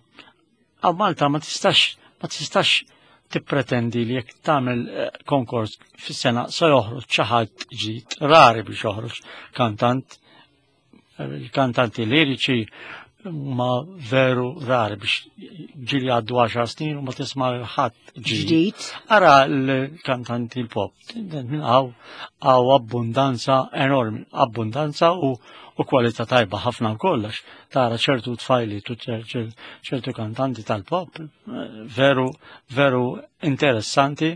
għaw Malta ma tistax, ma tistax tippretendi li jekk tagħmel eh, konkors fis-sena se joħroġ xi ħadd ġdid, rari biex joħroġ kantant, eh, il-kantanti liriċi ma veru rari biex ġili għaddu għaxar snin u ma tisma' ħadd ġdid. Ġdid. Ara l-kantanti l-pop, minn għaw għaw abbundanza enormi, abbundanza u, u kwalità tajba ħafna kollox. Tara ċertu tfajli, tu ċer- ċer- ċertu kantanti tal-pop, eh, veru, veru interessanti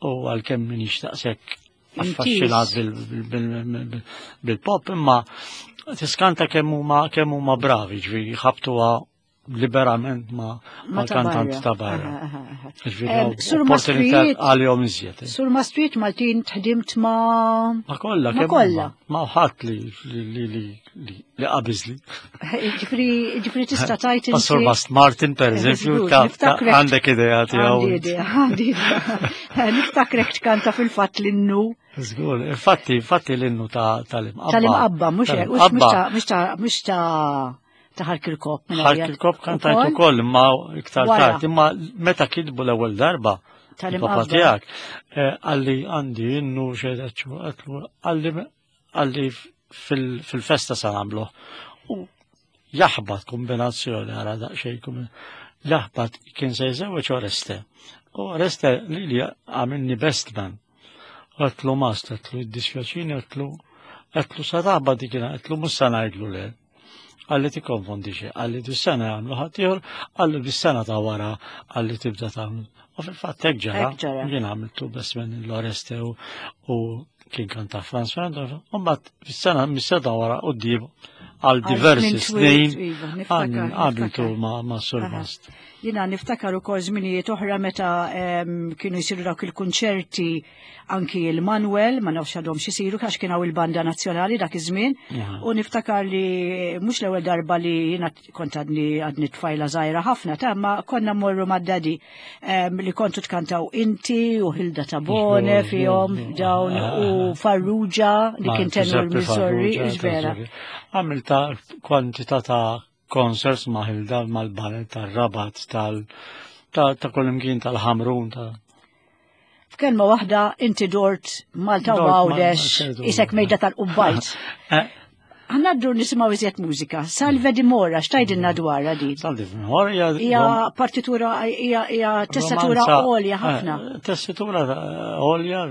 u għalkemm minix daqshekk affaxxinat bil- bil- bil- bil-pop, imma tiskanta kemm huma kemm huma bravi, ġifieri ħabtuha liberament ma' Ma ta' mal-kantanti barra. ta' barra. Aha, aha, aha. Ġifieri, Em, Sur opportunità Mastrijiet- għalihom iżjed. eh. Sur Mastrijiet Maltin tħdimt ma' Ma kollha Ma kemm kollha. huma. Ma ħadd li li li li li li qabiżli. Ġifri, ġifri tista' tajt Ma Sur Mast Martin per eżempju, Żgur, ta' ta' niftakrek- għandek idea tiegħu. Għandi idea, għandi idea. Niftakrek tkanta fil-fatt l-innu Żgur, infatti, infatti l-innu ta' tal-imqabba. tal-imqabba, mhux hekk, mhux Tal-imqabba. ta' mhux ta' mhux ta' ta' Ħarkirkop. minn Ħark għalija. il-kop kantajt Ukoll? ukoll, imma iktar Wara. tard, imma meta kitbu l-ewwel darba, Tal-imqabba. il-papa tiegħek, eh, għalli għandi innu xejn għatlu, għalli għalli fil- fil-festa sa nagħmlu. U jaħbat kombinazzjoni għara daqsxejn kombi- jaħbat kien se jżewweġ Oreste. U Oreste li li għamilni best man. Għatlu mast, għatlu id-dispjaċini, għatlu għatlu sa taħbat dik għatlu mhux sa ngħidlu le. Għalli ti konfondi xie, għalli dis-sena għamlu ħaddieħor, għalli bis-sena ta' wara, għalli tibda tagħmlu. U fil-fatt hekk ġara, Hekk ġara. jien għamiltu best man l-Oreste u, u kien kanta Franz Fernando, u mbagħad fis-sena mis-sena wara quddiem għal diversi żmien twil, snin iva, niftakar, għamiltu niftakar. ma' ma' Sur Aha. Mast. Jina niftakar ukoll żminijiet oħra meta em, kienu jsiru dawk il-kunċerti anki il-Manuel, ma nafx għadhom xisiru għax kien hawn il-Banda Nazzjonali dak iż-żmien. Aha. U niftakar li mhux l-ewwel darba li jiena kont għadni għadni tfajla żgħira ħafna, ta' ma konna mmorru mad-dadi em, li kontu tkantaw inti u Hilda Tabone Żgur, fihom żgur, dawn ah, u Farrugia li Ma' kien tenur Giuseppe Missouri, Farrugia, vera. ta' Għamilta kwantità ta' concerts ma' Hilda, mal-banet, tal-Rabat, tal ta' ta' kollimkien tal-Ħamrun, ta' F'kelma waħda inti dort Malta u Dort ma- Għawdex, ma- isek mejda tal-qubbajt. Eh, Għanna nisimgħu iżjed mużika. Salve di Mora, x'tajdilna dwarha din? Salve di Mora hija Hija partitura, hija hija tessatura romanza- għolja ħafna. eh, Tessitura eh, għolja,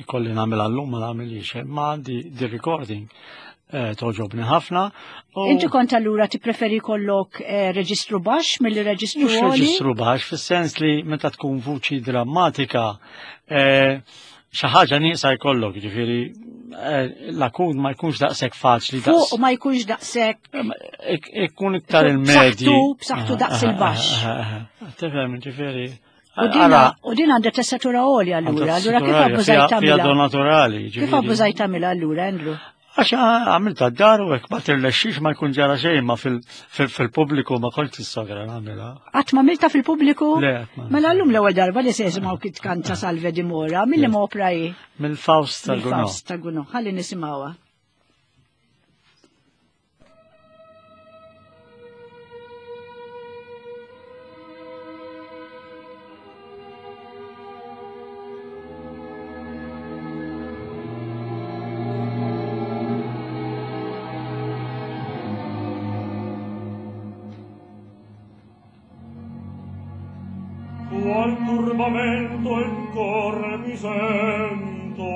ikolli nagħmel għallum ma nagħmilix, ma għandi di recording eh, toġobni ħafna. u- Inti kont allura tippreferi kollok eh, reġistru baxx milli reġistru Mhux għoli? reġistru baxx, fis-sens li meta tkun vuċi drammatika, eh, xi ħaġa nieqsa jkollok, ġifieri eh, l-akun ma jkunx daqshekk faċli Fuq ma jkunx daqshekk Ik- Ikun iktar il-medji. B'saħħtu- b'saħħtu daqs il-baxx. Tifhem, ġifieri. U dina, u din għandha tessatura għolja allura, allura kif abbużajt Fija tagħmilha? do naturali. Kif ġifieri. abbużajt tagħmilha allura, Andrew? Għax għamilta d-dar u hekk ma tirlexxix ma jkun ġara xejn ma fil- fil- fil-pubbliku ma kontx is-sogra nagħmilha. Qatt ma milta fil-pubbliku? Le, qatt ma. Mela llum l-ewwel darba li se jisimgħu kif tkanta Salve di Mora, milli ma opra hi? Mill-Faust ta' Gounod. Mill-Faust ta' Gounod. Ħalli nisimgħuha. Qual turbamento in cor mi sento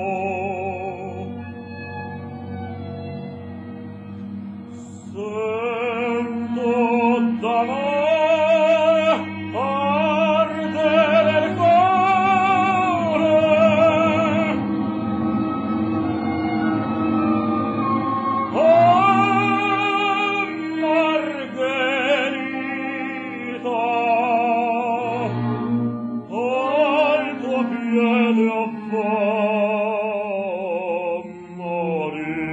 Sento da me ardere il cuore Oh Margherita al tuo piede a far morire.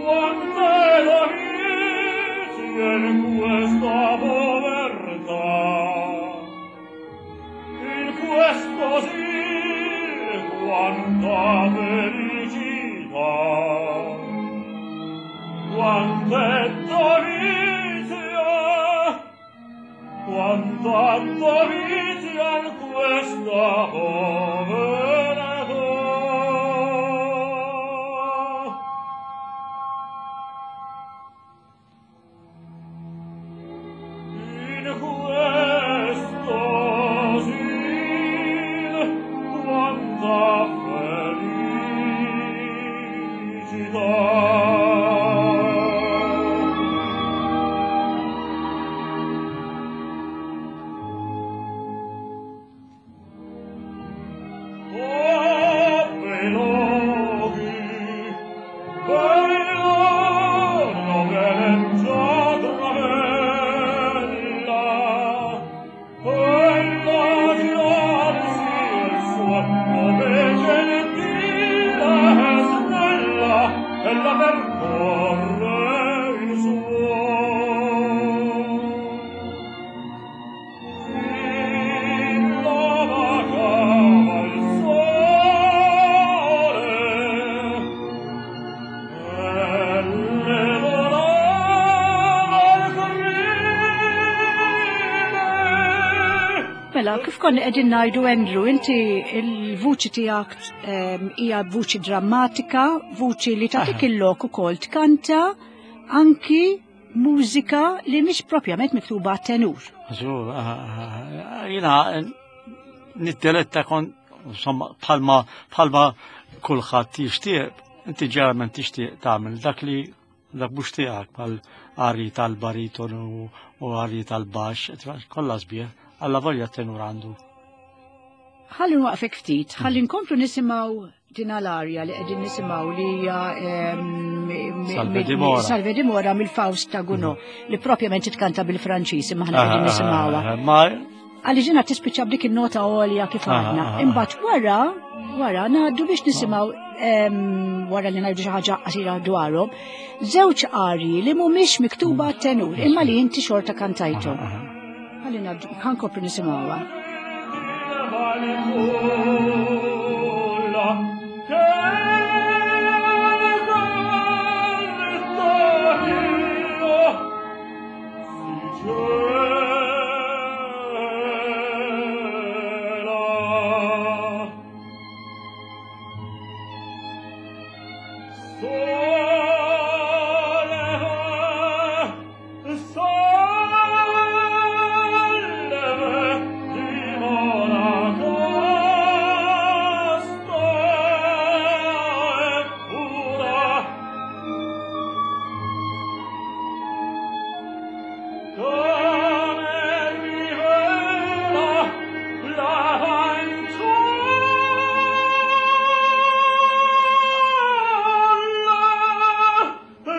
Quante delizie in questa povertà, in questo sì, quanta felicità, quante dovizia, quanta dovizia in questa povertà. In questo sì, quanta felicità. Oh, bei luoghi, bei luoghi leggiadra bella, quella girarsi il suo nome gentile e snella, ella percorre il suo. Fin la vagava il sole, e le volava il corrile. Mela, kif konna qegħdin ngħidu Andrew, inti il-vuċi tiegħek ehm, hija vuċi drammatika, vuċi li tagħtik il-lok ukoll tkanta anki mużika li mhix propjament miktuba għat-tenur. Żgur, jiena niddeletta kon, insomma, bħalma bħalma kulħadd jixtieq, inti ġeneralment tixtieq tagħmel dak li dak mhux tiegħek bħal arji tal-bariton u u arji tal-baxx, kollha sbieħ, alla volja tenur għandu. Ħalli nwaqfek ftit, ħalli nkomplu nisimgħu din l-arja li qegħdin nisimgħu li hija ehm, Salve mi- Dimora. Salve Dimora mill-Faust ta' Gounod, li propjament titkanta bil-Franċiż imma aħna qegħdin nisimgħuha. Ma Għaliex ġina tispiċċa b'dik in-nota għolja kif Ah, għadna. ah, ah. Imbagħad wara, wara ngħaddu biex nisimgħu ehm, wara li ngħidu xi ħaġa qasira dwarhom, żewġ arji li mhumiex miktuba għat-tenur, imma li inti xorta kantajthom. Ħalli ngħaddu, ħankopri nisimgħuha. Fanciulla che canto io si cela. Sole, sole, dimora casta e pura. Come rivela la fanciulla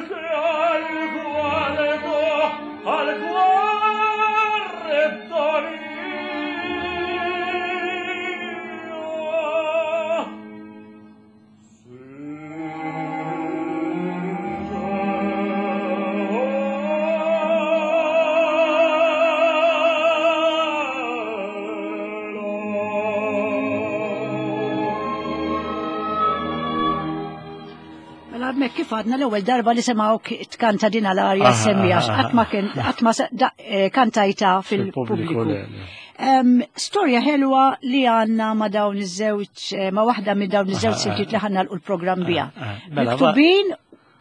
che al guardo, al guardo mio si Mela hemmhekk kif għadna l-ewwel darba li semgħu tkanta din l-arja Ah, semmi għax ah, ah, qatt ma kien qatt ma se- da- eh, kantajta fil-pubbliku fil-pubbliku. le, le. Em, Storja ħelwa li għandna ma dawn iż-żewġ eh, ma waħda minn dawn iż-żewġ Ah, siltiet li ħanna l-programm biha. ah, ah. Mela, Miktubin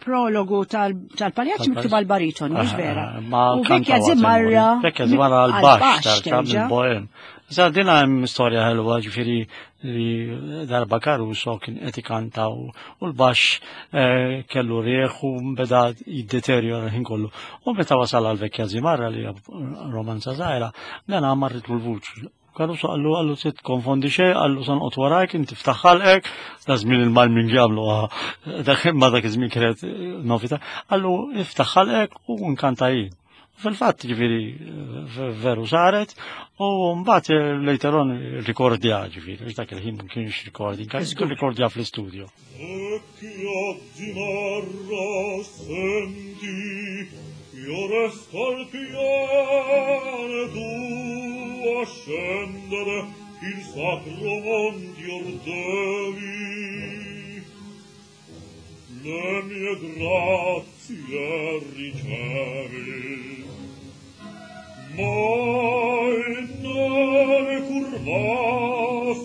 prologu tal- tal-paljaċ Tal-paljaċ. miktub għal-bariton, mhux vera. Ma U Vecchia Zimarra Vecchia Zimarra għal-baxx għal-baxx terġa' terġa'. mill-bohem. Issa din hemm storja ħelwa ġifieri li darba Caruso kien qed ikanta u u l-baxx eh, kellu rieħ u beda jiddeteriora l-ħin kollu. U meta wasal għal Vecchia Zimarra li hija romanza żgħira, dan marritlu l-vuċi. Caruso qallu qallu se tkonfondi xejn, qallu sa noqgħod warajk, inti ftaħ ħalqek, da żmien il-Malmin jagħmlu ah, dak imma dak iż-żmien kienet novità, qallu iftaħ ħalqek u nkanta jien. Fil-fatt ġifieri veru saret u mbagħad later on rikordja ġifieri, għax dak il-ħin ma kienx recording, kien rikordja fl-istudio. Io resto al piano tu a scendere il sacro monte devi. Le mie grazie ricevi, mai non curvasti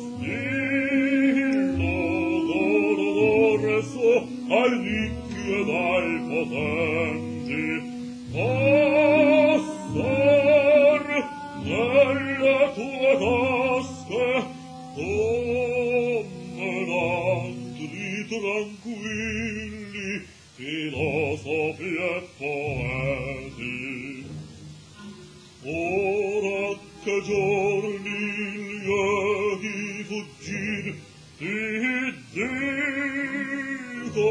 il loro dorso ai ricchi ed ai potenti. Passar nelle tue tasche come l'antri tranquilli filosofi e poeti. Ora che giorni lieti fuggir ti dico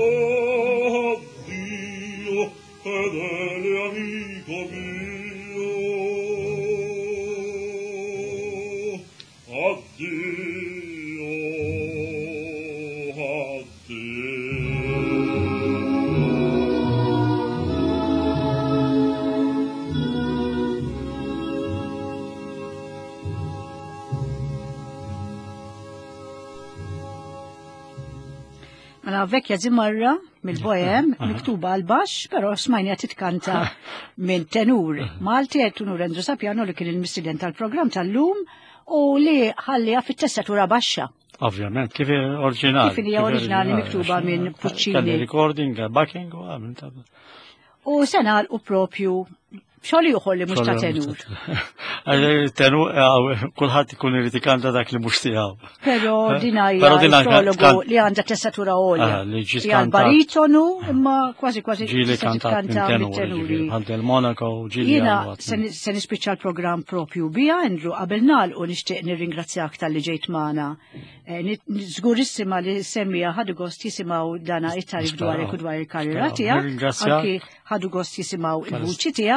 addio, fedele amico mio, addio, addio. Mela vecchia zimarra mill-Bohem, miktuba għal-baxx, pero smajnija titkanta minn tenur Malti, tenur Andrew Sapiano li kien il-mistieden tal-programm tal-lum u li ħallija fit-tessatura baxxa. Ovvjament, kif oriġinali. Kif hija oriġinali miktuba minn Puccini. Kelli recording, backing u għamil. U se nagħlqu propju xogħol ieħor li mhux ta' tenur. Tenur, kulħadd ikun irid ikanta dak li mhux tiegħu. Però din hija prologu li għandha tessatura għolja. Hija l-baritonu imma kważi kważi ġieli kantat minn tenuri. Bħal Del Monaco ġieli. Jiena se nispiċċa l-programm propju bija, Andrew, qabel nagħlqu nixtieq nirringrazzjak talli ġejt magħna. Żgurissima li semmija ħadu gost jisimgħu dana it-tarif dwarek u dwar il-karriera tiegħek. Anki ħadu gost jisimgħu il-vuċi tiegħek.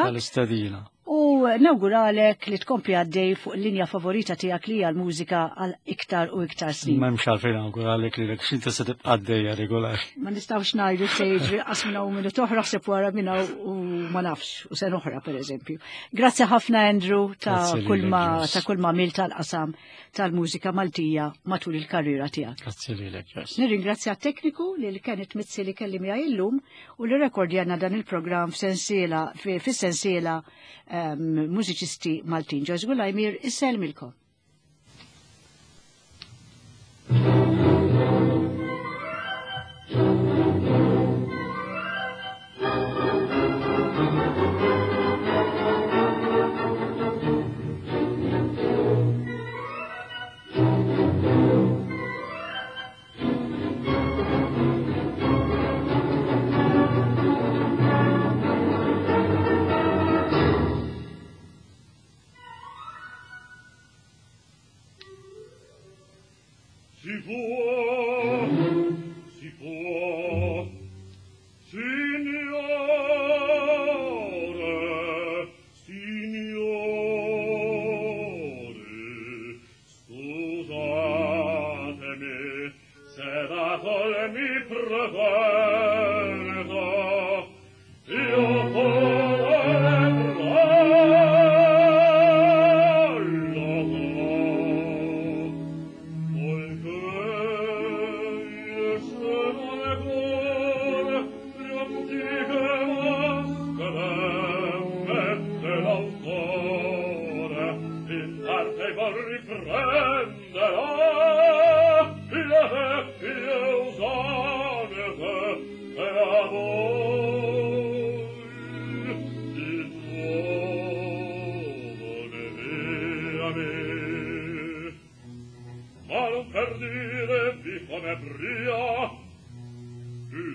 U nawguralek li tkompli għaddej fuq l-linja favorita tiegħek li hija l-mużika għal iktar u iktar snin. M'hemmx għalfejn nawguralek lilek x'inti se tibqa' għaddejja regolari. Ma nistgħux ngħidu se jiġri qas minn hawn minnu toħra ħseb wara minn hawn u ma nafx u se oħra pereżempju. Grazzi ħafna Andrew ta' kull ma ta' kull ma għamilt tal-qasam tal-mużika Maltija matul il-karriera tiegħek. Grazzi lilek. Nirringrazzja t-tekniku li kienet Mizzi li kelli miegħi illum u li rekordjana dan il-programm f'sensiela fis-sensiela mużiċisti Maltin. Joyce Gulajmir, isselmilkom. Si può, si può, signore, signore, scusatemi se da col mi pretendo, io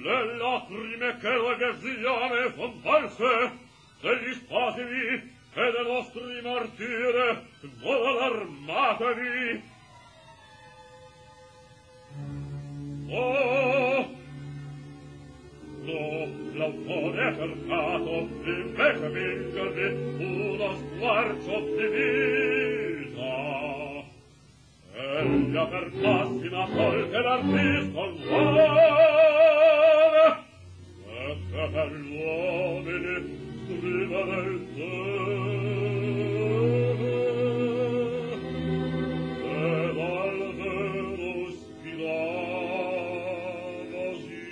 le lacrime che la gazziane son false, degli spasimi e dei nostri martire, non allarmatevi. Oh, L'autore ha cercato invece vincervi uno squarcio di vita. Egli ha per massima sol che l'artista vuole, e che per gli uomini scrivere il deve, ed al vero ispirava sì.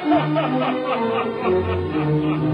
Ha ha ha ha ha!